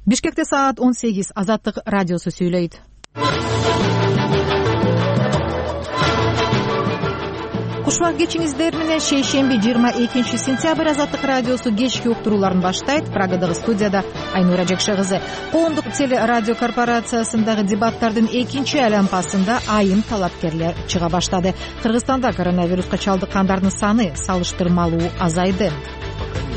Бишкекте саат 18. Азаттык радиосу сүйлөйт. Кушбак кечиңиздер менен шейшемби 22 сентябрь Азаттык радиосу кечки уктурууларын баштайт. Прагадагы студияда Айнура Жекше кызы. Коомдук телерадио корпорациясындагы дебаттардын экинчи айлампасында айым талапкерлер чыга баштады. Кыргызстанда коронавируска чалдыккандардын саны салыштырмалуу азайды.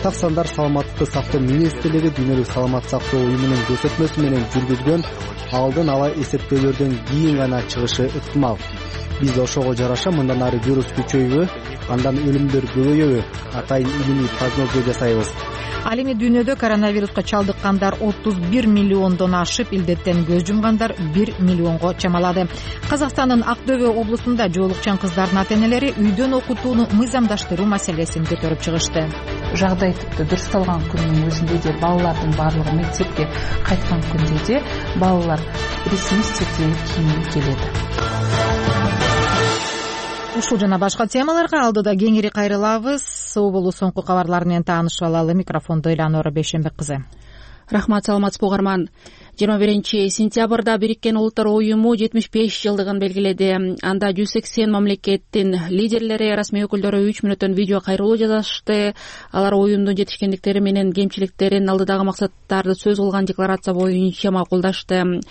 Так сандар саламаттыкты сактоо министрлиги Дүйнөлүк саламаттык сактоо уюмунун көрсөтмөсү менен жүргүзгөн алдын ала эсептөөлөрдөн кийин гана чыгышы ыктымал. Биз ошого жараша мындан ары вирус күчөйбү, андан өлүмдөр көбөйөбү атайын илимий прогноз жасайбыз. Ал эми дүйнөдө коронавируска чалдыккандар 31 миллиондон ашып, илдеттен көз жумгандар 1 миллионго чамалады. Казакстандын Актөбө облусунда жоолукчан кыздардын ата-энелери үйдөн окутууну мыйзамдаштыруу маселесин көтөрүп чыгышты. Жагдай типти дурусталган күндүн өзүндө же балалардын баардыгы мектепке кайткан күндө же балалар ресми сертификат кийинип келет. Ушул жана башка темаларга алдыда кеңири кайрылабыз. Сооболу соңку кабарлар менен таанышып алалы. Микрофондо Эланора Бейшенбек кызы. Рахмат, саламатсызбы угарман. 21 сентябрда Бириккен Улуттар уюму 75 жылдыгын белгиледи. Анда 180 мамлекеттин лидерлери, расмий өкүлдөрү 3 мүнөттөн видео кайрылуу жасашты. Алар уюмдун жетишкендиктери менен кемчиликтерин, алдыдагы максаттарды сөз кылган декларация боюнча макулдашты.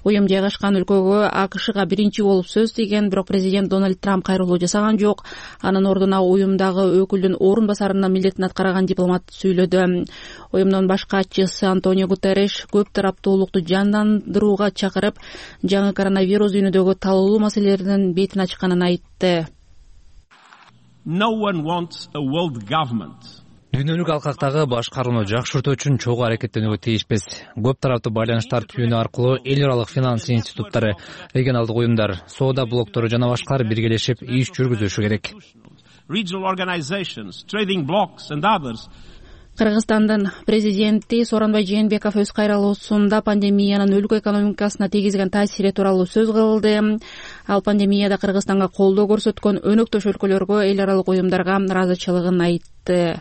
Уюм жайгашкан өлкөгө АКШга биринчи болуп сөз тийген, бирок президент Дональд Трамп кайрылуу жасаган жок. Анын ордуна уюмдагы өкүлдүн орун басарынын милдетин аткарган дипломат сүйлөдү. Уюмдун баш катчысы Антонио Гутерриш көп тараптуулукту жандандырууга чакырып, жаңы коронавирус дүйнөдөгү талоолуу маселелердин бетин ачканын айтты. Дүйнөлүк алкактагы башкарууну жакшыртуу үчүн чогуу аракеттенүүгө тийишпиз. Көп тараптуу байланыштар түйүнү аркылуу эл аралык финанс институттары, регионалдык уюмдар, соода блоктору жана башкалар биргелешип иш жүргүзүшү керек. Кыргызстандын президенти Сооронбай Жээнбеков өз кайрылуусунда пандемиянын өлкө экономикасына тийгизген таасири тууралуу сөз кылды. Ал пандемияда Кыргызстанга колдоо көрсөткөн өнөктөш өлкөлөргө, эл аралык уюмдарга ыраазычылыгын айтты.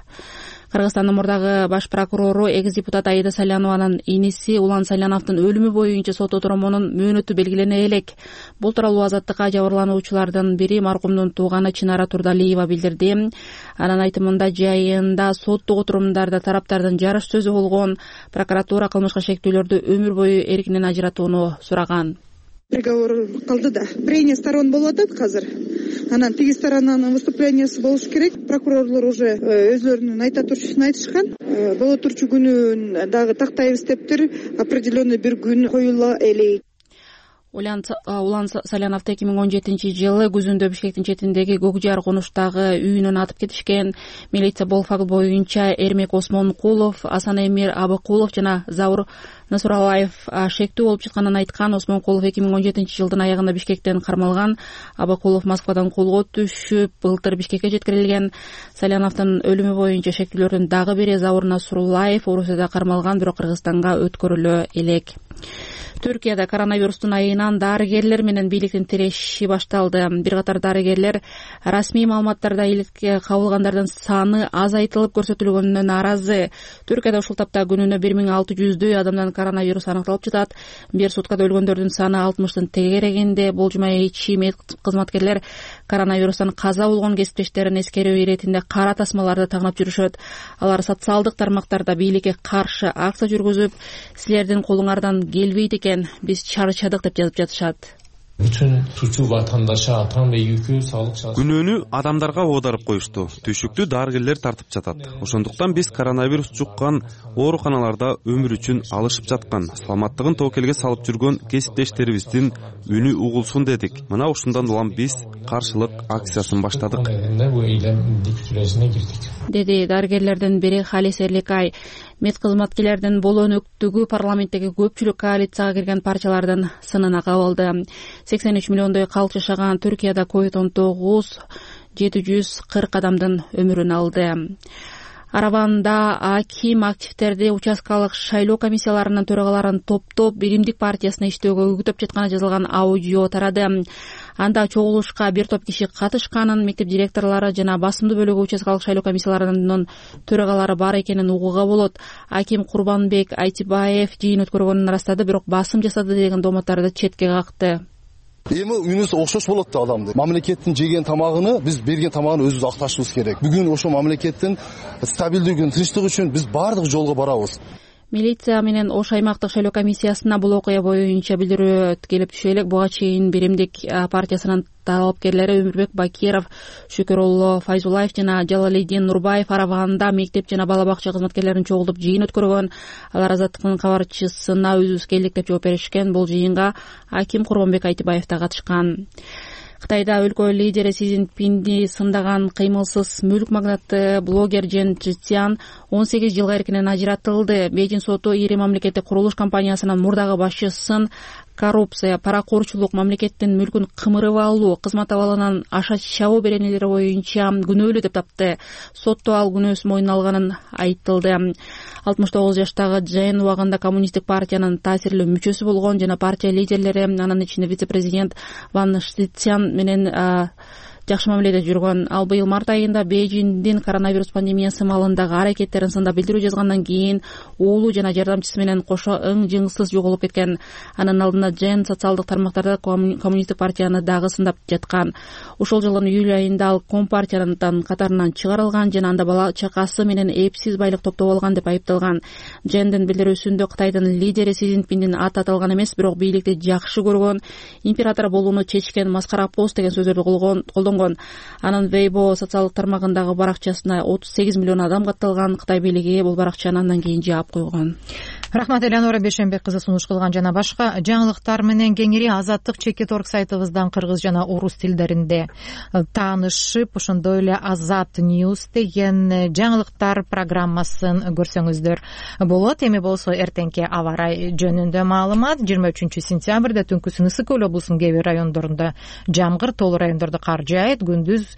Кыргызстандын мурдагы баш прокурору экс-депутат Аида Салянованын иниси Улан Саляновдун өлүмү боюнча сот отуруmunун мөөнөтү белгилене элек. Бул тууралуу Азаттыкка жабырлануучулардын бири маркумдун тууганы Чынара Турдалиева билдирди. Анын айтымында жайында соттук отурумдарда тараптардын жарыш сөзү болгон. Прокуратура кылмышка шектүүлөрдү өмүр бою эркинен ажыратууну сураган. Приговор кылды да. Прения сторон болуп атат азыр. Анан тиги сторонанын выступлениясы болуш керек. Прокурорлор уже өзлөрүнүн айта турчусун айтышкан. Боло турчу күнүн дагы тактайбыз дептир. Определенный бир күн коюла элек. Улан Саляновду 2017 жылы күзүндө Бишкектин четиндеги Көкжар конуштагы үйүнөн атып кетишкен. Милиция бул факт боюнча Эрмек Осмонкулов, Асан Эмир Абыкулов жана Заур Насуралаев шектүү болуп чыкканын айткан. Осмонкулов 2017 жылдын аягында Бишкектен кармалган. Абыкулов Москвадан колго түшүп, былтыр Бишкекке жеткирилген. Саляновдун өлүмү боюнча шектүүлөрдүн дагы бири Заур Насуралаев Орусияда кармалган, бирок Кыргызстанга өткөрүлө элек. Түркияда коронавирустун айынан дарыгерлер менен бийликтин тиреши башталды. Бир катар дарыгерлер расмий маалыматтарда иликке кабылгандардын саны азайтылып көрсөтүлгөнүнө нааразы. Түркияда ушул тапта күнүнө 1600дөй адамдан коронавирус аныкталып жатат. Бир суткада өлгөндөрдүн саны 60-тын тегерегинде. Болжумай ичи мед кызматкерлер коронавирустан каза болгон кесиптештерин эскерүү иретинде кара тасмаларды тагынап жүрүшөт. Алар социалдык тармактарда бийликке каршы акция жүргүзүп, силердин колуңардан келбейт экен, биз чарчадык деп жазып жатышат. Күнөөнү адамдарга оодарып коюшту. Түшүктү дарыгерлер тартып жатат. Ошондуктан биз коронавирус жуккан ооруканаларда өмүр үчүн алышып жаткан, саламаттыгын тоокелге салып жүргөн кесиптештерибиздин үнү угулсун дедик. Мына ушундан улам биз каршылык акциясын баштадык, деди дарыгерлердин бири Халис Эрликай. Мед кызматкерлердин бул өнөктүгү парламенттеги көпчүлүк коалицияга кирген партиялардын сынына кабылды. 83 миллиондой калк жашаган Түркияда COVID-19 740 адамдын өмүрүн алды. Арабанда аким активдерди участкалык шайлоо комиссияларынын төрагаларын топтоп биримдик партиясына иштөөгө үгүттөп жатканы жазылган аудио тарады. Анда чогулушка бир топ киши катышканын, мектеп директорлору жана басымдуу бөлүгү участкалык шайлоо комиссияларынын төрагалары бар экенин угууга болот. Аким Курбанбек Айтибаев жыйын өткөргөнүн ырастады, бирок басым жасады деген домотторду четке какты. Эми үнүбүз окшош болот да адамды. Мамлекеттин жеген тамагын биз берген тамагын өзүбүз акташыбыз керек. Бүгүн ошо мамлекеттин стабилдүүлүгүн, тынчтыгы үчүн биз баардык жолго барабыз. Милиция менен Ош аймактык шайлоо комиссиясына бул окуя боюнча билдирүү келип түшө элек. Буга чейин Биримдик партиясынын талапкерлери Өмүрбек Бакиров, Шүкүрулло Файзулаев жана Жалалидин Нурбаев Араванда мектеп жана бала бакча кызматкерлерин чогултуп жыйын өткөргөн. Алар Азаттыктын кабарчысына өзүбүз келдик деп жооп беришкен. Бул жыйынга аким Курбанбек Айтибаев да катышкан. Кытайда өлкө лидери Си Цзиньпинди сындаган кыймылсыз мүлк магнаты блогер Чжэн Чжэцзян 18 жылга эркинен ажыратылды. Бейжиң соту ири мамлекеттик курулуш компаниясынын мурдагы башчысын коррупция, паракорчулук, мамлекеттин мүлкүн кымырып алуу, кызмат абалынан аша чабуу беренелери боюнча күнөөлүү деп тапты. Сотто ал күнөөсүн мойнуна алганын айтылды. 69 жаштагы Чжэн убагында коммунисттик партиянын таасирлүү мүчөсү болгон жана партия лидерлери, анын ичинде вице-президент Ван Штицян менен жакшы мамиледе жүргөн. Ал быйыл март айында Бейжиңдин коронавирус пандемиясы маалындагы аракеттерин сындап билдирүү жазгандан кийин уулу жана жардамчысы менен кошо ың-жыңсыз жоголуп кеткен. Анын алдында Чжэн социалдык тармактарда коммунисттик партияны дагы сындап жаткан. Ошол жылдын июль айында ал Компартиянын катарынан чыгарылган жана анда бала чакасы менен эпсиз байлык топтоп алган деп айыпталган. Чжэндин билдирүүсүндө Кытайдын лидери Си Цзиньпиндин аты аталган эмес, бирок бийликти жакшы көргөн, император болууну чечкен маскара пост деген сөздөрдү колдонгон. Анын Weibo социалдык тармагындагы баракчасына 38 миллион адам катталган. Кытай бийлиги бул баракчаны андан кийин жаап койгон. Рахмат Элеонора Бешенбек кызы сунуш кылган жана башка жаңылыктар менен кеңири Азаттык Чекит.org сайтыбыздан кыргыз жана орус тилдеринде таанышып, ошондой эле Азат News деген жаңылыктар программасын көрсөңүздөр болот. Эми болсо эртеңки аба ырайы жөнүндө маалымат. 23-сентябрда түнкүсүн Ысык Көл облусунун кээ бир райондорунда жамгыр, тоолуу райондордо кар жаайт. Күндүз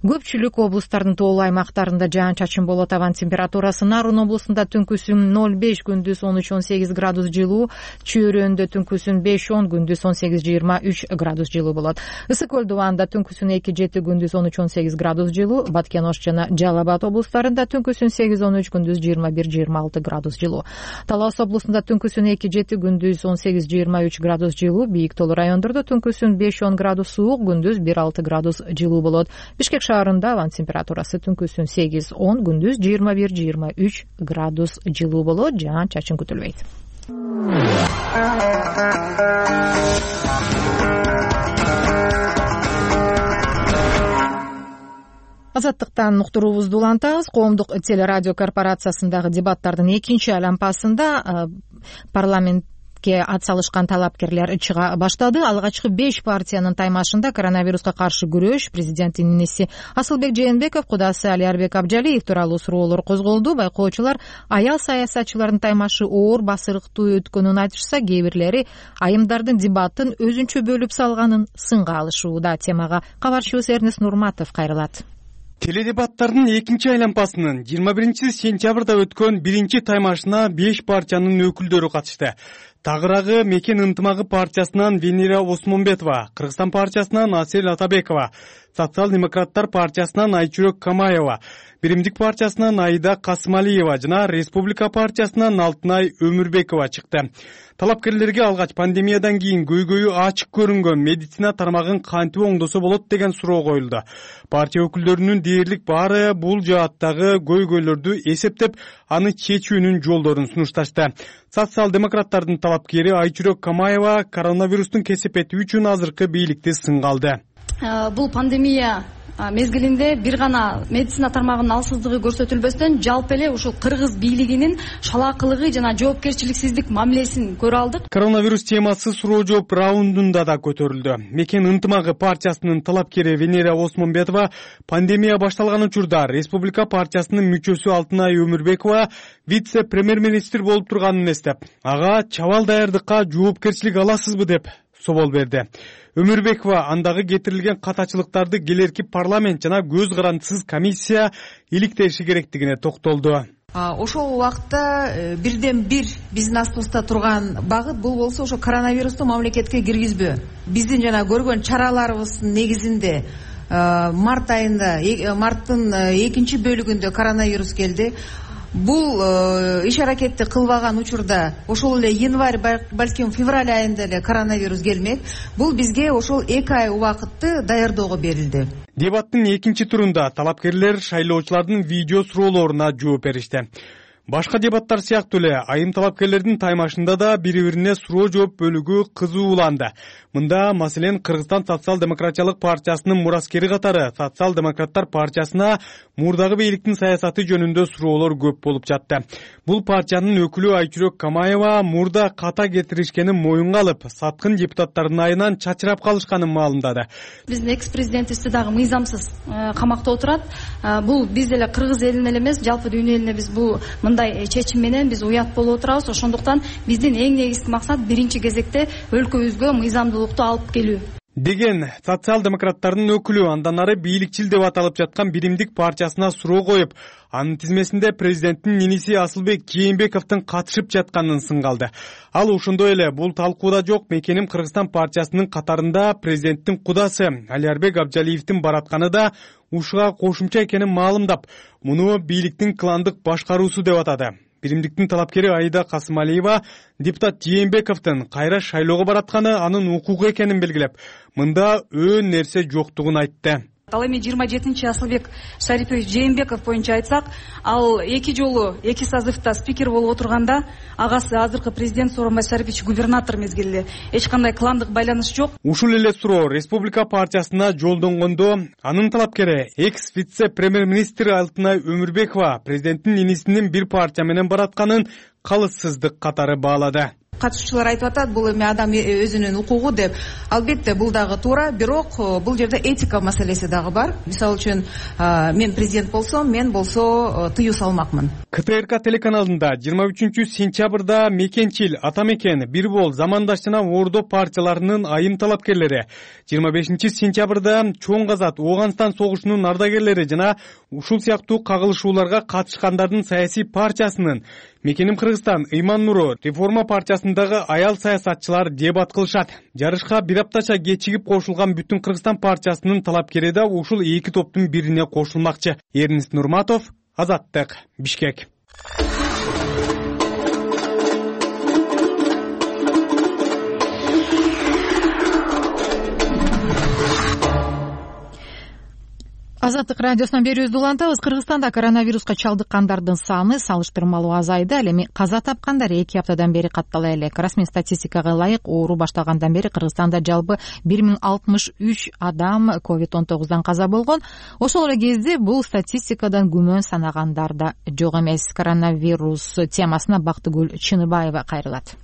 көпчүлүк облустардын тоолуу аймактарында жаан-чачын болот. Абан температурасы Нарын облусунда түнкүсүн 0,5, күндүз 13-18 градус жылуу, Чөйрөндө түнкүсүн 5-10, күндүз 18-23 градус жылуу болот. Ысык Көл дубанда түнкүсүн 2-7, күндүз 13-18 градус жылуу, Баткен, Ош жана Жалал Абад облустарында түнкүсүн 8-13, күндүз 21-26 градус жылуу. Талас облусунда түнкүсүн 2-7, күндүз 18-23 градус жылуу, Бийик тоолуу райондордо түнкүсүн 5-10 градус суук, күндүз 1-6 градус жылуу болот. Бишкек шаарында аван температурасы түнкүсүн 8-10, күндүз 21-23 градус жылуу болот. Жаан-чачын күтүлбөйт. Азаттыктан уктуруубузду улантабыз. Коомдук телерадио корпорациясындагы дебаттардын экинчи айланпасында парламент ат салышкан талапкерлер чыга баштады. Алгачкы 5 партиянын таймашында коронавируска каршы күрөш, президенттин иниси Асылбек Жээнбеков, кудасы Алиарбек Абжалиев тууралуу суроолор козголду. Байкоочулар аял саясатчылардын таймашы оор басырыктуу өткөнүн айтышса, кээ бирлери айымдардын дебаттын өзүнчө бөлүп салганын сынга алышууда. Темага кабарчыбыз Эрнест Нурматов кайрылат. Теледебаттардын экинчи айланпасынын 21-сентябрда өткөн биринчи таймашына 5 партиянын өкүлдөрү катышты. Тагыраагы Мекен ынтымагы партиясынан Венера Осмонбетова, Кыргызстан партиясынан Асель Атабекова, Социал-демократтар партиясынан Айчүрөк Камаева, Биримдик партиясынан Аида Касымалиева жана Республика партиясынан Алтынай Өмүрбекова чыкты. Талапкерлерге алгач пандемиядан кийин көйгөйү ачык көрүнгөн медицина тармагын кантип оңдосо болот деген суроо коюлду. Партия өкүлдөрүнүн дээрлик баары бул жааттагы көйгөйлөрдү эсептеп, аны чечүүнүн жолдорун сунушташты. Социал-демократтардын талапкери Айчүрөк Камаева коронавирустун кесепети үчүн азыркы бийликти сынга алды. Бул пандемия мезгилинде бир гана медицина тармагынын алсыздыгы көрсөтүлбөстөн, жалпы эле ушул кыргыз бийлигинин шалаакылыгы жана жоопкерчиликсиздик мамилесин көрө алдык. Коронавирус темасы суроо жооп раундунда да көтөрүлдү. Мекен ынтымагы партиясынын талапкери Венера Осмонбетова пандемия башталган учурда Республика партиясынын мүчөсү Алтынай Өмүрбекова вице-премьер-министр болуп турганын эстеп, ага чабал даярдыкка жоопкерчилик аласызбы деп собол берди. Өмүрбекова андагы кетирилген катачылыктарды келерки парламент жана көз карандысыз комиссия иликтеши керектигине токтолду. Ошол убакта бирден бир биздин астыбызда турган багыт бул болсо ошо коронавирусту мамлекетке киргизбөө. Биздин жана көргөн чараларыбыздын негизинде марттын 2 бөлүгүндө коронавирус келди. Бул иш аракетти кылбаган учурда ошол эле январь, балким февраль айында эле коронавирус келмек. Бул бизге ошол 2 ай убакытты даярдоого берилди. Дебаттын экинчи турунда талапкерлер шайлоочулардын видео суроолоруна жооп беришти. Башка дебаттар сыяктуу эле айым талапкерлердин таймашында да бири-бирине суроо жооп бөлүгү кызууланды. Мында маселен Кыргызстан социал-демократиялык партиясынын мураскери катары социал-демократтар партиясына мурдагы бийликтин саясаты жөнүндө суроолор көп болуп жатты. Бул партиянын өкүлү Айчүрөк Камаева мурда ката кетиришкенин моюнга алып, саткын депутаттардын айынан чачырап калышканын маалымдады. Биздин экс-президентибизди дагы мыйзамсыз камакта отурат. Бул биз эле кыргыз элине эле эмес, жалпы дүйнө элине биз бул мындай чечим менен биз уят болуп отурабыз. Ошондуктан биздин эң негизги максат биринчи кезекте өлкөбүзгө мыйзамдуулукту алып келүү деген социал-демократтардын өкүлү андан ары бийликчил деп аталып жаткан Биримдик партиясына суроо коюп, анын тизмесинде президенттин иниси Асылбек Кийинбековдун катышып жатканын сынгалды. Ал ошондой эле бул талкууда жок, Мекеним Кыргызстан партиясынын катарында президенттин кудасы Алиарбек Абжалиевдин баратканы да ушуга кошумча экенин маалымдап, муну бийликтин кландык башкаруусу деп атады. Биримдиктин талапкери Аида Касымалиева депутат Жээнбековдун кайра шайлоого баратканы анын укугу экенин белгилеп, мында өөн нерсе жоктугун айтты. Ал эми 27-чи Асылбек Шарипович Жээнбеков боюнча айтсак, ал 2 жолу 2 созывда спикер болуп отурганда, агасы азыркы президент Сооронбай Шарипович губернатор мезгилде эч кандай кландык байланыш жок. Ушул эле суроо Республика партиясына жолдонгондо, анын талапкери экс-вице-премьер-министр Алтынай Өмүрбекова президенттин инисинин бир партия менен баратканын калыссыздык катары баалады. Катышуучулар айтып атат, бул эми адам өзүнүн укугу деп. Албетте бул дагы туура, бирок бул жерде этика маселеси дагы бар. Мисалы үчүн, мен президент болсом, мен болсо тыюу салмакмын. КТРК телеканалында 23-сентябрда Мекенчил, Атамекен, Бирбол, Замандаш жана Ордо партияларынын айым талапкерлери, 25-сентябрда Чоң Казат, Ооганстан согушунун ардагерлери жана ушул сыяктуу кагылышууларга катышкандардын саясий партиясынын Мекеним Кыргызстан, Ыйман Нуру, Реформа партиясындагы аял саясатчылар дебат кылышат. Жарышка бир аптача кечигип кошулган Бүтүн Кыргызстан партиясынын талапкери да ушул 2 топтун бирине кошулмакчы. Эрнест Нурматов, Азаттык, Бишкек. Азаттык радиосунан берүүбүздү улантабыз. Кыргызстанда коронавируска чалдыккандардын саны салыштырмалуу азайды. Ал эми каза тапкандар 2 аптадан бери каттала элек. Расмий статистикага ылайык, оору башталгандан бери Кыргызстанда жалпы 1063 адам COVID-19дан каза болгон. Ошол эле кезде бул статистикадан күмөн санагандар да жок эмес. Коронавирус темасына Бактыгүл Чыныбаева кайрылат.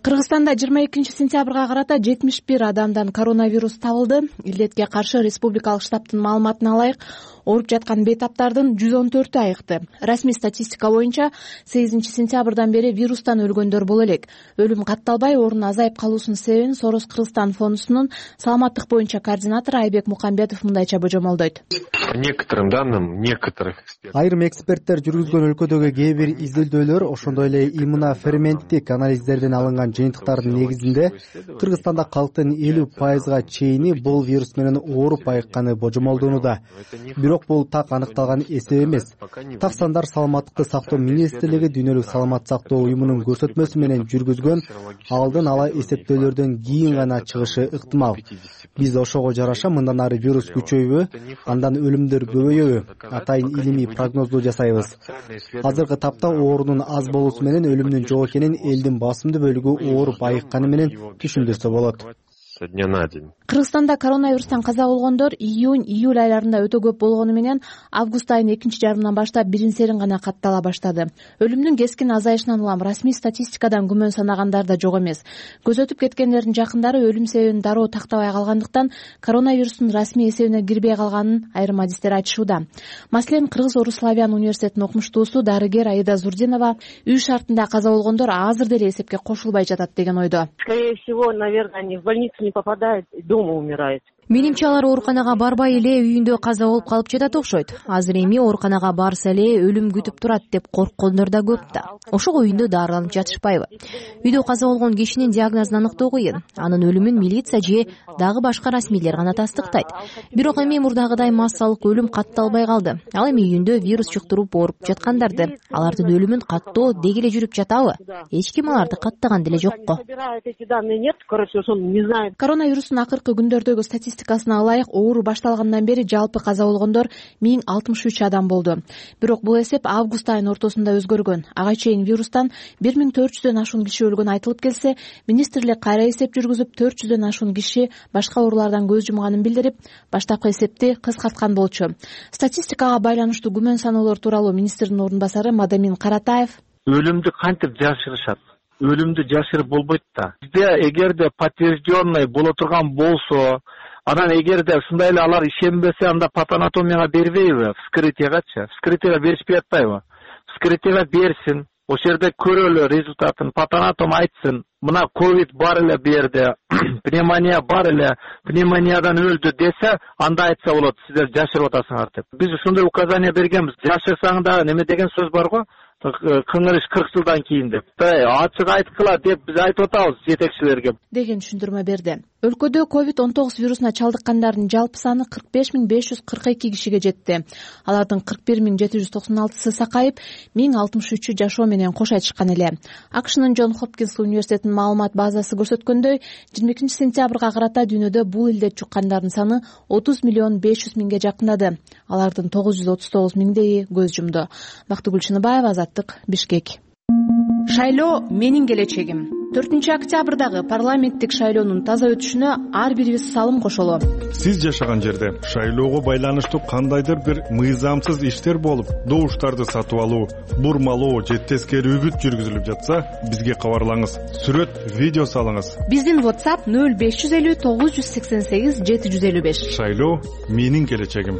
Кыргызстанда 22-сентябрга карата 71 адамдан коронавирус табылды. Илдетке каршы республикалык штабтын маалыматына ылайык, ооруп жаткан бейтаптардын 114-ü айыкты. Расмий статистика боюнча 8-сентябрдан бери вирустан өлгөндөр боло элек. Өлүм катталбай, оорунун азайып калуусунун себебин Сорос Кыргызстан фондусунун саламаттык боюнча координатору Айбек Мукамбетов мындайча божомолдойт. По некоторым данным, некоторых экспертов. Айрым эксперттер жүргүзгөн өлкөдөгү кээ бир изилдөөлөр, ошондой эле иммуноферменттик анализдерден алынган жыйынтыктардын негизинде Кыргызстанда калктын 50%-га чейини бул вирус менен ооруп айыкканы божомолдонууда. Бирок бул так аныкталган эсеп эмес. Так сандар Саламаттыкты сактоо министрлиги Дүйнөлүк саламат сактоо уюмунун көрсөтмөсү менен жүргүзгөн алдын ала эсептөөлөрдөн кийин гана чыгышы ыктымал. Биз ошого жараша мындан ары вирус күчөйбү, андан өлүмдөр көбөйөбү, атайын илимий прогнозду жасайбыз. Азыркы тапта оорунун аз болуусу менен өлүмдүн жок экенин элдин басымдуу бөлүгү ооруп айыкканы менен түшүндүрсө болот. Со дня на день. Кыргызстанда коронавирустан каза болгондор июнь-июль айларында өтө көп болгону менен август айынын экинчи жарымынан баштап бирин-серин гана каттала баштады. Өлүмдүн кескин азайышынан улам расмий статистикадан күмөн санагандар да жок эмес. Көз өтүп кеткендердин жакындары өлүм себебин дароо тактабай калгандыктан коронавирустун расмий эсебине кирбей калганын айрым адистер айтышууда. Маселен, Кыргыз-Орус славян университетинин окумуштуусу дарыгер Аида Зурдинова үй шартында каза болгондор азыр деле эсепке кошулбай жатат деген ойдо. Скорее всего, наверное, они в больницу не попадают, дома умирают. Менимче алар ооруканага барбай эле үйүндө каза болуп калып жатат окшойт. Азыр эми ооруканага барса эле өлүм күтүп турат деп корккондор да көп да. Ошого үйүндө дарыланып жатышпайбы? Үйдө каза болгон кишинин диагнозун аныктоо кыйын. Анын өлүмүн милиция же дагы башка расмийлер гана тастыктайт. Бирок эми мурдагыдай массалык өлүм катталбай калды. Ал эми үйүндө вирус жуктуруп ооруп жаткандарды, алардын өлүмүн каттоо деги эле жүрүп жатабы? Эч ким аларды каттаган деле жокко. Коронавирустун акыркы күндөрдөгү статистикасына ылайык, оору башталгандан бери жалпы каза болгондор 1063 адам болду. Бирок бул эсеп август айынын ортосунда өзгөргөн. Ага чейин вирустан 1400дөн ашуун киши өлгөнү айтылып келсе, министрлик кайра эсеп жүргүзүп 400дөн ашуун киши башка оорулардан көз жумганын билдирип, баштапкы эсепти кыскарткан болчу. Статистикага байланыштуу күмөн саноолор тууралуу министрдин ордун басары Мадамин Каратаев: өлүмдү кантип жашырышат? Өлүмдү жашырып болбойт да. Бизде эгерде подтвержденный боло турган болсо, анан эгерде ушундай эле алар ишенбесе, анда патанатомияга бербейби? Вскрытиягачы? Вскрытияга беришпей атпайбы? Вскрытияга берсин. Ошол жерде көрөлү результатын. Патанатом айтсын, мына ковид бар эле бу жерде, пневмония бар эле, пневмониядан өлдү десе, анда айтса болот, сиздер жашырып атасыңар деп. Биз ошондой указание бергенбиз. Жашырсаң да неме деген сөз бар го? Кыңырыш 40 жылдан кийин деп. Ачык айткыла деп биз айтып атабыз жетекчилерге деген түшүндүрмө берди. Өлкөдө COVID-19 вирусуна чалдыккандардын жалпы саны 45.542 кишиге жетти. Алардын 41.796сы сакайып, 1063 жашоо менен кош айтышкан эле. АКШнын Джон Хопкинс университетинин маалымат базасы көрсөткөндөй, 22 сентябрга карата дүйнөдө бул илдет жуккандардын саны 30.500.000ге жакындады. Алардын 939.000 көз жумду. Бактыгүл Чыныбаева, Азаттык, Бишкек. Шайлоо менин келечегим. 4-октябрдагы парламенттик шайлоонун таза өтүшүнө ар бирибиз салым кошолу. Сиз жашаган жерде шайлоого байланыштуу кандайдыр бир мыйзамсыз иштер болуп, добуштарды сатып алуу, бурмалоо же тескери үгүт жүргүзүлүп жатса, бизге кабарлаңыз. Сүрөт, видео салыңыз. Биздин WhatsApp 0550 988 755. Шайлоо менин келечегим.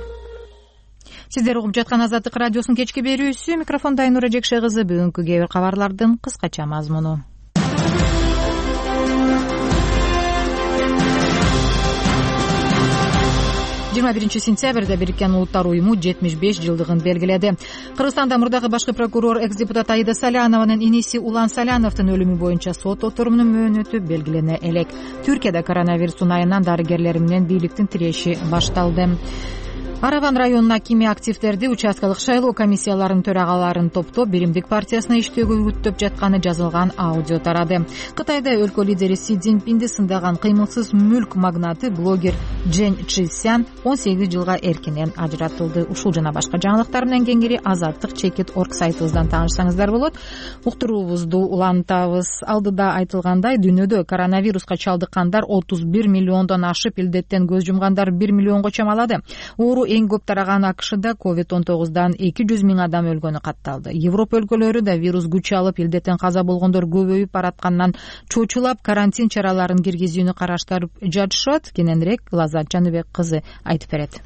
Сиздер угуп жаткан Азаттык радиосунун кечки берүүсү. Микрофондо Айнура Жекше кызы. Бүгүнкү кээ бир кабарлардын кыскача мазмуну. 21 сентябрда Бириккен Улуттар уюму 75 жылдыгын белгиледи. Кыргызстанда мурдагы башкы прокурор экс-депутат Аида Салянованын иниси Улан Саляновдун өлүмү боюнча сот отурумунун мөөнөтү белгилене элек. Түркияда коронавирустун айынан дарыгерлер менен бийликтин тиреши башталды. Араван районунун акими активдерди участкалык шайлоо комиссияларынын төрагаларын топтоп Биримдик партиясына иштөөгө үгүттөп жатканы жазылган аудио тарады. Кытайда өлкө лидери Си Цзиньпинди сындаган кыймылсыз мүлк магнаты блогер Джен Чжисян 18 жылга эркинен ажыратылды. Ушул жана башка жаңылыктар менен кеңири Азаттык.org сайтыбыздан таанышсаңыздар болот. Уктуруубузду улантабыз. Алдыда айтылгандай, дүйнөдө коронавируска чалдыккандар 31 миллиондон ашып, илдеттен көз жумгандар 1 миллионго чамалады. Эң көп тараган АКШда COVID-19дан 200 миң адам өлгөнү катталды. Европа өлкөлөрү да вирус күч алып, илдеттен каза болгондор көбөйүп бараткандан чочулап карантин чараларын киргизүүнү караштырып жатышат. Кененирээк Лазат Жаныбек кызы айтып берет.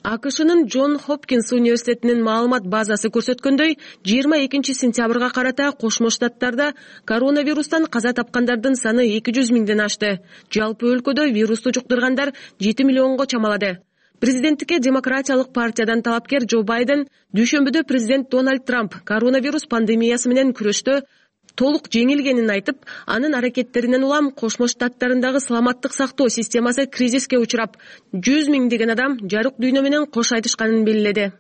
АКШнын Джон Хопкинс университетинин маалымат базасы көрсөткөндөй, 22 сентябрга карата Кошмо Штаттарда коронавирустан каза тапкандардын саны 200 миңден ашты. Жалпы өлкөдө вирусту жуктургандар 7 миллионго чамалады. Президенттикке Демократиялык партиядан талапкер Джо Байден дүйшөмбүдө президент Дональд Трамп коронавирус пандемиясы менен күрөштө толук жеңилгенин айтып, анын аракеттеринен улам Кошмо Штаттарындагы саламаттык сактоо системасы кризиске учурап, 100 миңдеген адам жарык дүйнө менен кош айтышканын белгиледи.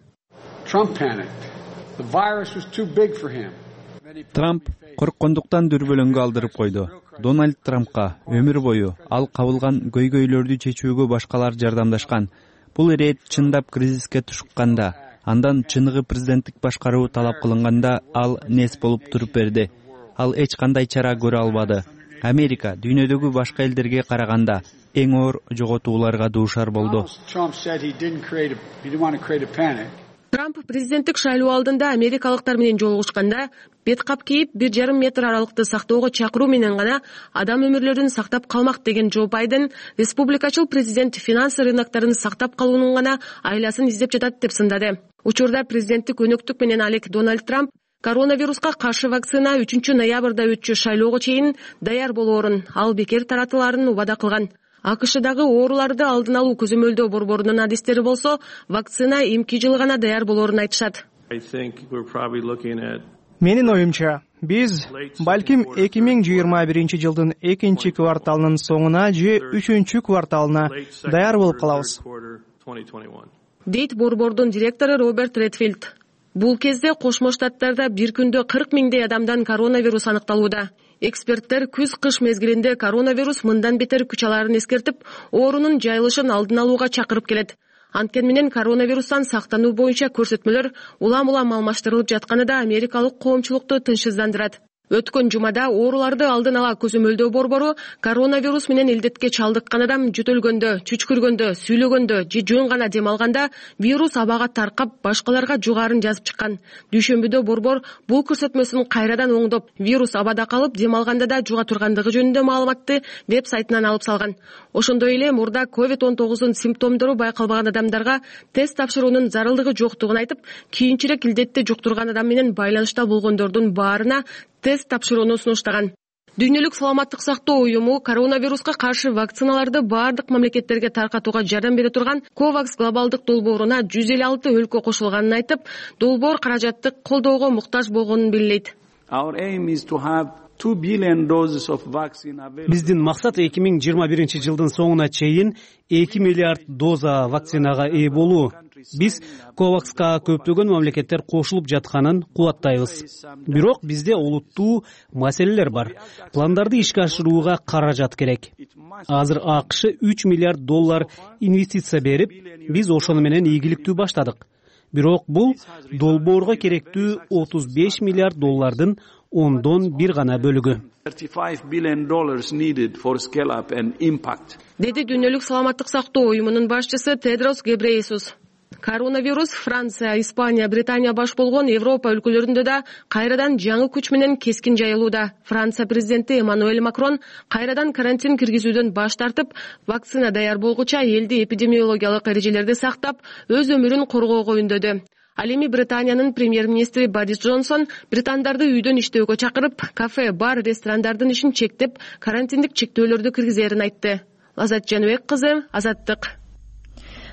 Трамп корккондуктан дүрбөлөңгө алдырып койду. Дональд Трампка өмүр бою ал кабылган көйгөйлөрдү чечүүгө башкалар жардамдашкан. Бул ирет чындап кризиске тушукканда, андан чыныгы президенттик башкаруу талап кылынганда ал нес болуп туруп берди. Ал эч кандай чара көрө албады. Америка дүйнөдөгү башка элдерге караганда эң оор жоготууларга дуушар болду. Трамп президенттик шайлоо алдында америкалыктар менен жолугушканда бет кап кийип 1,5 метр аралыкты сактоого чакыруу менен гана адам өмүрлөрүн сактап калмак деген Джо Байден республикачыл президент финанс рыноктарын сактап калуунун гана айласын издеп жатат деп сындады. Учурда президенттик өнөктүк менен алек Дональд Трамп коронавируска каршы вакцина 3 ноябрда өтчү шайлоого чейин даяр болоорун, ал бекер таратылаарын убада кылган. АКШдагы ооруларды алдын алуу көзөмөлдөө борборунун адистери болсо вакцина эмки жылы гана даяр болоорун айтышат. Менин оюмча, биз балким 2021 жылдын экинчи кварталынын соңуна же үчүнчү кварталына даяр болуп калабыз, дейт борбордун директору Роберт Редфилд. Бул кезде Кошмо Штаттарда бир күндө 40 миңдей адамдан коронавирус аныкталууда. Эксперттер күз-кыш мезгилинде коронавирус мындан бетер күч аларын эскертип, оорунун жайылышын алдын алууга чакырып келет. Анткени менен коронавирустан сактануу боюнча көрсөтмөлөр улам-улам алмаштырылып жатканы да америкалык коомчулукту тынчсыздандырат. Өткөн жумада ооруларды алдын ала көзөмөлдөө борбору коронавирус менен илдетке чалдыккан адам жөтөлгөндө, чүчкүргөндө, сүйлөгөндө же жөн гана дем алганда вирус абага таркап, башкаларга жугаарын жазып чыккан. Дүйшөмбүдө борбор бул көрсөтмөсүн кайрадан оңдоп, вирус абада калып, дем алганда да жуга тургандыгы жөнүндө маалыматты веб-сайтынан алып салган. Ошондой эле мурда COVID-19 симптомдору байкалбаган адамдарга тест тапшыруунун зарылдыгы жоктугун айтып, кийинчерээк илдетти жуктурган адам менен байланышта болгондордун баарына тест тапшырууну сунуштаган. Дүйнөлүк саламаттык сактоо уюму коронавируска каршы вакциналарды бардык мамлекеттерге таркатууга жардам бере турган COVAX глобалдык долбооруна 156 өлкө кошулганын айтып, долбоор каражаттык колдоого муктаж болгонун белгилейт. Биздин максат 2021 жылдын соңуна чейин 2 миллиард доза вакцинага ээ болуу. Биз COVAXка көптөгөн мамлекеттер кошулуп жатканын кубаттайбыз. Бирок бизде олуттуу маселелер бар. Пландарды ишке ашырууга каражат керек. Азыр АКШ $3 миллиард инвестиция берип, биз ошону менен ийгиликтүү баштадык. Бирок бул долбоорго керектүү $35 миллиард ондон бир гана бөлүгү. Деди Дүйнөлүк саламаттык сактоо уюмунун башчысы Тедрос Гебрейесус. Коронавирус Франция, Испания, Британия баш болгон Европа өлкөлөрүндө да кайрадан жаңы күч менен кескин жайылууда. Франция президенти Эммануэль Макрон кайрадан карантин киргизүүдөн баш тартып, вакцина даяр болгуча элди эпидемиологиялык эрежелерди сактап, өз өмүрүн коргоого үндөдү. Ал эми Британиянын премьер-министри Борис Джонсон британдарды үйдөн иштөөгө чакырып, кафе, бар, ресторандардын ишин чектеп, карантиндик чектөөлөрдү киргизерин айтты. Азат Жаныбек кызы, Азаттык.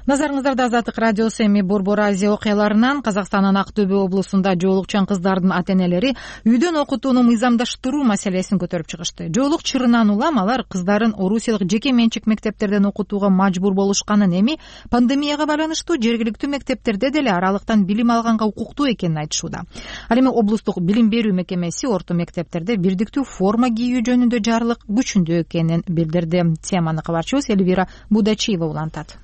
Назарыңыздарда Азаттык радиосу эми Борбор Азия окуяларынан Казакстандын Актөбө облусунда жоолукчан кыздардын ата-энелери үйдөн окутууну мыйзамдаштыруу маселесин көтөрүп чыгышты. Жоолук чырынан улам алар кыздарын орусиялык жеке менчик мектептерден окутууга мажбур болушканын, эми пандемияга байланыштуу жергиликтүү мектептерде деле аралыктан билим алганга укуктуу экенин айтышууда. Ал эми облустук билим берүү мекемеси орто мектептерде бирдиктүү форма кийүү жөнүндө жарлык күчүндө экенин билдирди. Теманы кабарчыбыз Элвира Будачиева улантат.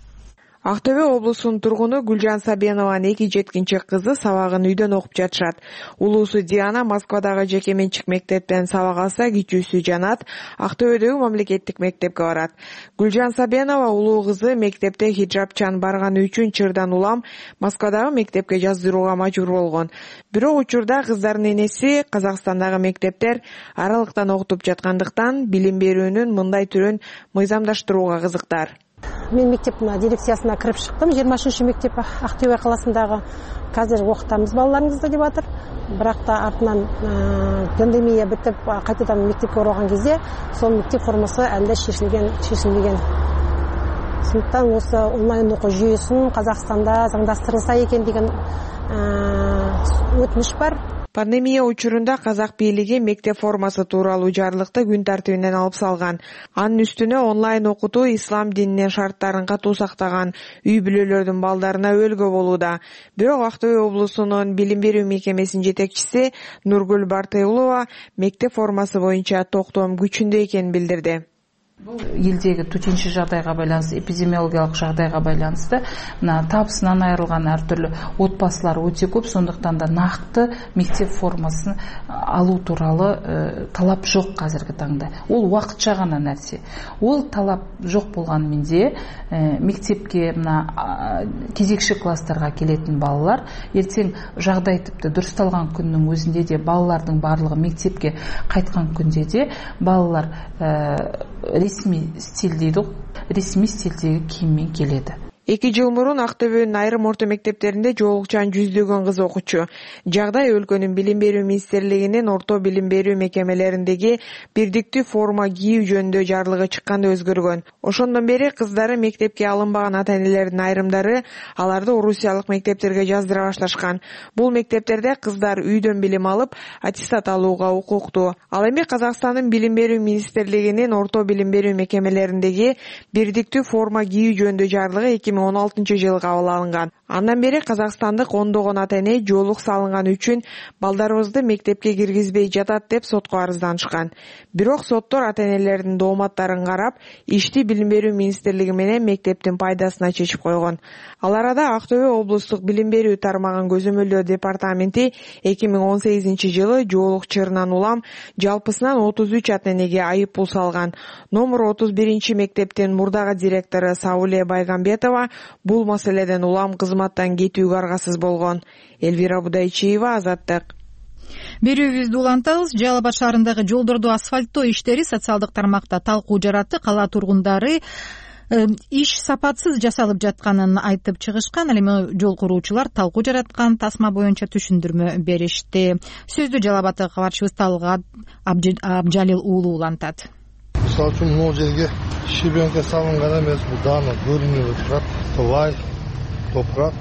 Актөбө облусунун тургуну Гүлжан Сабенованын 2 жеткинчек кызы сабагын үйдөн окуп жатышат. Улуусу Диана Москвадагы жеке менчик мектептен сабак алса, кичүүсү Жанат Актөбөдөгү мамлекеттик мектепке барат. Гүлжан Сабенова улуу кызы мектепте хиджабчан барганы үчүн чырдан улам Москвадагы мектепке жаздырууга мажбур болгон. Бирок учурда кыздардын энеси Казакстандагы мектептер аралыктан окутуп жаткандыктан билим берүүнүн мындай түрүн мыйзамдаштырууга кызыктар. Мен мектептин дирекциясына кирип чыктым. 23 мектеп Актөбө каласындагы. Казыр окутабыз балдарыбызды деп атыр. Бирок та артынан пандемия бүтүп, кайтадан мектепке оралган кезде сол мектеп формасы әлде шешилбеген. Сондықтан осы онлайн окуу жүйөсүн Казакстанда заңдастырылса экен деген өтүнүш бар. Пандемия учурунда казак бийлиги мектеп формасы тууралуу жарлыкты күн тартибинен алып салган. Анын үстүнө онлайн окутуу ислам дининин шарттарын катуу сактаган үй бүлөлөрдүн балдарына өлгө болууда. Бирок Актөбө облусунун билим берүү мекемесинин жетекчиси Нургүл Бартыйлова мектеп формасы боюнча токтом күчүндө экенин билдирди. Елдегі төтенше жағдайға байланысты, эпидемиологиялық жағдайға байланысты табысынан айырылған әртүрлі отбасылар өте көп, сондықтан да нақты мектеп формасын алу туралы талап жоқ қазіргі таңда. Ол уақытша ғана нәрсе. Ол талап жоқ болғанымен де мектепке кезекші класстарға келетін балалар ертең жағдай тіпті дұрысталған күннің өзінде де балалардың барлығы мектепке қайтқан күнде де балалар ресми стиль дейді, ресми стилдегі киіммен келеді. 2 жыл мурун Актөбөнүн айрым орто мектептеринде жоолукчан жүздөгөн кыз окучу. Жагдай өлкөнүн билим берүү министрлигинин орто билим берүү мекемелериндеги бирдиктүү форма кийүү жөнүндө жарлыгы чыкканда өзгөргөн. Ошондон бери кыздары мектепке алынбаган ата-энелердин айрымдары аларды орусиялык мектептерге жаздыра башташкан. Бул мектептерде кыздар үйдөн билим алып, аттестат алууга укуктуу. Ал эми Казакстандын билим берүү министрлигинин орто билим берүү мекемелериндеги бирдиктүү форма кийүү жөнүндө жарлыгы 2016 жылы кабыл алынган. Андан бери казакстандык ондогон ата-эне жоолук салынган үчүн балдарыбызды мектепке киргизбей жатат деп сотко арызданышкан. Бирок соттор ата-энелердин дооматтарын карап, ишти билим берүү министрлиги менен мектептин пайдасына чечип койгон. Ал арада Актөбө облустук билим берүү тармагын көзөмөлдөө департаменти 2018 жылы жоолук чырынан улам жалпысынан 33 ата-энеге айып пул салган. Номер 31 мектептин мурдагы директору Сауле Байгамбетова бул маселеден улам кызматтан кетүүгө аргасыз болгон. Элвира Будайчиева, Азаттык. Берүүбүздү улантабыз. Жалал Абад шаарындагы жолдорду асфальттоо иштери социалдык тармакта талкуу жаратты. Кала тургундары иш сапатсыз жасалып жатканын айтып чыгышкан. Ал эми жол куруучулар талкуу жараткан тасма боюнча түшүндүрмө беришти. Сөздү Жалал Абадтагы кабарчыбыз Талгат Абжалил уулу улантат. Мисалы үчүн могу жерге щебенка салынган эмес, бул дагы көрүнүп турат. Лай, топурак.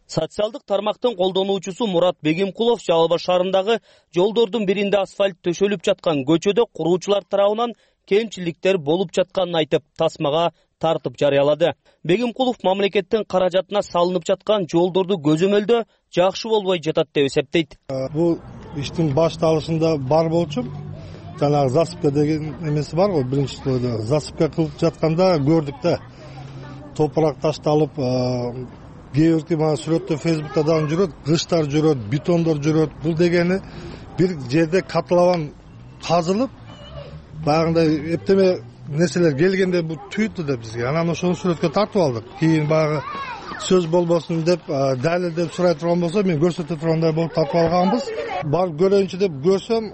Социалдык тармактын колдонуучусу Мурат Бегимкулов Жалал Абад шаарындагы жолдордун биринде асфальт төшөлүп жаткан көчөдө куруучулар тарабынан кемчиликтер болуп жатканын айтып, тасмага тартып жарыялады. Бегимкулов мамлекеттин каражатына салынып жаткан жолдорду көзөмөлдөө жакшы болбой жатат деп эсептейт. Бул иштин башталышында бар болчу. Жанагы засыпка деген эмеси бар го, биринчи слойдо. Засыпка кылып жатканда көрдүк да. Топурак ташталып, кээ бирки мана сүрөттө Фейсбукта дагы жүрөт, кыштар жүрөт, бетондор жүрөт. Бул дегени бир жерде катылабан казылып, баягындай эптеме нерселер келгенде бул түйүттү да бизге. Анан ошону сүрөткө тартып алдык. Кийин баягы сөз болбосун деп, далилдеп сурай турган болсо, мен көрсөтө тургандай болуп тартып алганбыз. Барып көрөйүнчү деп көрсөм,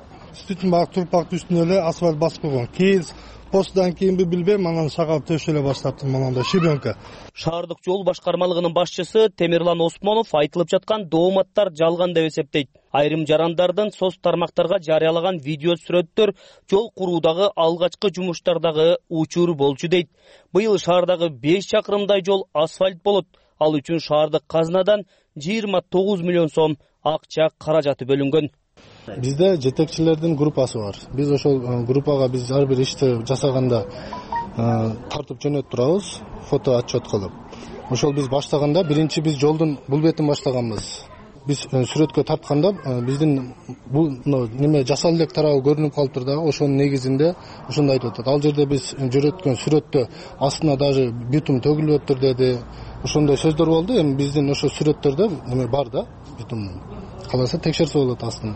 түтүн баягы турпактын үстүнө эле асфальт басып койгон. Кийин постдан кийинби билбейм, анан шагал төшөлө баштаптым мондай щебенка. Шаардык жол башкармалыгынын башчысы Темирлан Осмонов айтылып жаткан дооматтар жалган деп эсептейт. Айрым жарандардын соц тармактарга жарыялаган видео сүрөттөр жол куруудагы алгачкы жумуштардагы учур болчу дейт. Быйыл шаардагы 5 чакырымдай жол асфальт болот. Ал үчүн шаардык казынадан 29 миллион сом акча каражаты бөлүнгөн. Бизде жетекчилердин группасы бар. Биз ошол группага биз ар бир ишти жасаганда тартып жөнөтүп турабыз, фото отчет кылып. Ошол биз баштаганда биринчи биз жолдун бул бетин баштаганбыз. Биз сүрөткө тартканда биздин бул неме жасал элек тарабы көрүнүп калыптыр дагы, ошонун негизинде ошондой айтып атат. Ал жерде биз жөнөткөн сүрөттө астына даже битум төгүлүптүр деди. Ошондой сөздөр болду. Эми биздин ошо сүрөттөрдө неме бар да, битум. Каласа текшерсе болот астын.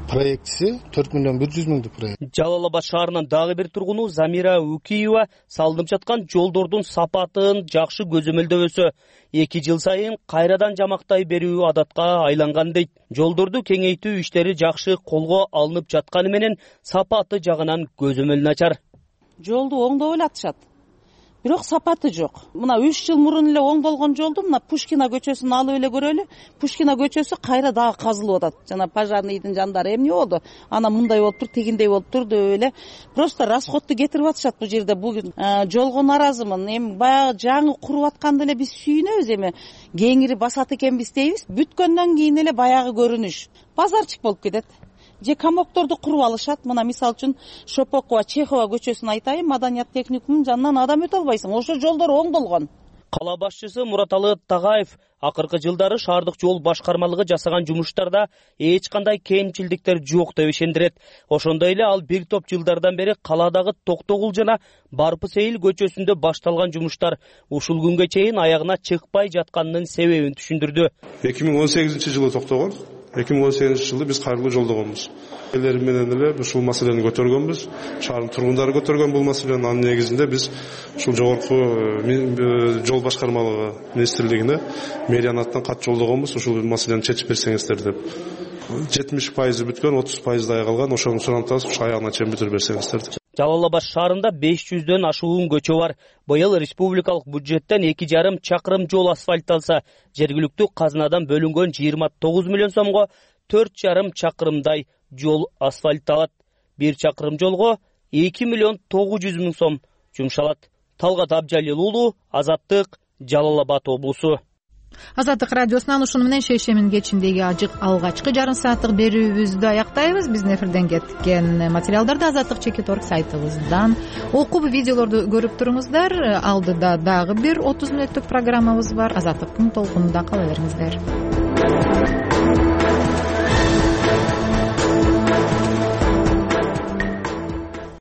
Проектisi 4 миллион 100 миңдик проект. Жалал Абад шаарынын дагы бир тургуну Замира Укиева салынып жаткан жолдордун сапатын жакшы көзөмөлдөбөсө 2 жыл сайын кайрадан жамактай берүү адатка айланган дейт. Жолдорду кеңейтүү иштери жакшы колго алынып жатканы менен сапаты жагынан көзөмөл начар. Жолду оңдоп эле атышат. Бирок сапаты жок. Мына 3 жыл мурун эле оңдолгон жолду мына Пушкина көчөсүн алып эле көрөлү. Пушкина көчөсү кайра дагы казылып атат. Жана пожарныйдын жандары эмне болду? Ана мындай болуптур, тигиндей болуптур деп эле просто расходду кетирип атышат бул жерде. Бүгүн жолго наразымын. Эми баягы жаңы куруп атканда эле биз сүйүнөбүз, эми кеңири басат экенбиз дейбиз. Бүткөндөн кийин эле баягы көрүнүш базарчык болуп кетет. Же камокторду куруп алышат. Мына мисалы үчүн Шопокова, Чехова көчөсүн айтайын, Маданият техникумунун жанынан адам өтө албайсың. Ошо жолдор оңдолгон. Кала башчысы Мураталы Тагаев акыркы жылдары шаардык жол башкармалыгы жасаган жумуштарда эч кандай кемчилдиктер жок деп ишендирет. Ошондой эле ал бир топ жылдардан бери каладагы Токтогул жана Барпы Сейил көчөсүндө башталган жумуштар ушул күнгө чейин аягына чыкпай жатканынын себебин түшүндүрдү. 2018 жылы токтогон. 2018 жылы биз кайрылуу жолдогонбуз. Элер менен эле ушул маселени көтөргөнбүз. Шаардын тургундары көтөргөн бул маселени. Анын негизинде биз ушул жогорку жол башкармалыгы министрлигине мэриянаттан кат жолдогонбуз. Ушул маселени чечип берсеңиздер деп. 70% бүткөн, 30% аяга калган. Ошону сурантабыз, ушу аягына чейин бүтүрүп берсеңиздер деп. Жалал Абад шаарында 500дөн ашуун көчө бар. Быйыл республикалык бюджеттен 2,5 чакырым жол асфальтталса, жергиликтүү казынадан бөлүнгөн 29 миллион сомго 4,5 чакырымдай жол асфальтталат. 1 чакырым жолго 2 миллион 900 миң сом жумшалат. Талгат Абжалил уулу, Азаттык, Жалал Абад облусу. Азаттык радиосунан ушуну менен шейшемин кечиндеги ажык алгачкы жарым сааттык берүүбүздү аяктайбыз. Биздин эфирден кеткен материалдарды Азаттык Чекит.org сайтыбыздан окуп, видеолорду көрүп туруңуздар. Алдыда дагы бир 30 мүнөттүк программабыз бар. Азаттыктын толкунунда кала бериңиздер.